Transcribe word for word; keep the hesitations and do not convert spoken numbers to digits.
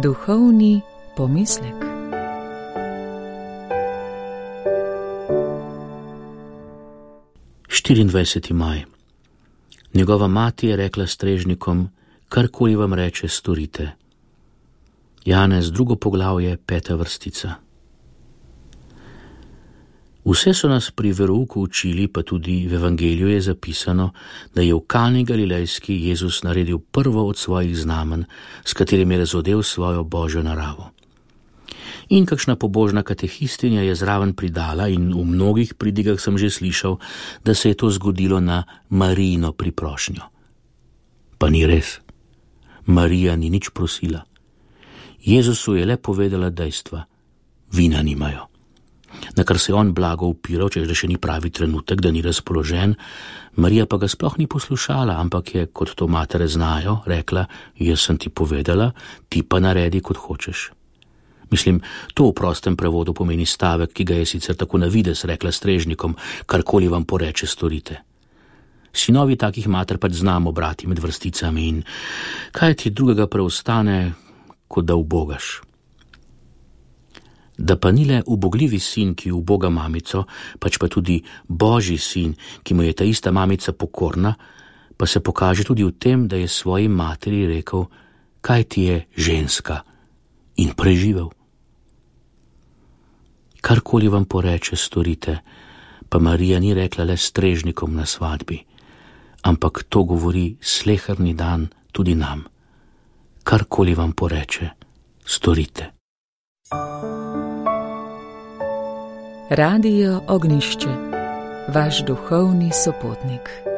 Duhovni pomislek. štiriindvajseti maj. Njegova mati je rekla strežnikom, karkoli vam reče, storite. Janez, drugo poglavje, peta vrstica. Vse so nas pri verouku učili, pa tudi v evangeliju je zapisano, da je v Kani Galilejski Jezus naredil prvo od svojih znamen, s katerim je razodel svojo božjo naravo. In kakšna pobožna katehistinja je zraven pridala, in v mnogih pridigah sem že slišal, da se je to zgodilo na Marijino priprošnjo. Pa ni res. Marija ni nič prosila. Jezusu je le povedala dejstva. Vina nimajo. Na kar se je on blago upiral, češ da še ni pravi trenutek, da ni razpoložen, Marija pa ga sploh ni poslušala, ampak je, kot to matere znajo, rekla, jaz sem ti povedala, ti pa naredi, kot hočeš. Mislim, to v prostem prevodu pomeni stavek, ki ga je sicer tako na videz rekla strežnikom, karkoli vam poreče, storite. Sinovi takih mater pač znamo brati med vrsticami in kaj ti drugega preostane, kot da ubogaš. Da pa ni le ubogljivi sin, ki uboga mamico, pač pa tudi božji sin, ki mu je ta ista mamica pokorna, pa se pokaže tudi v tem, da je svoji materi rekel, kaj ti je ženska, in preživel. Karkoli vam poreče, storite, pa Marija ni rekla le strežnikom na svadbi, ampak to govori sleherni dan tudi nam. Karkoli vam poreče, storite. Radio Ognjišče, vaš duhovni sopotnik.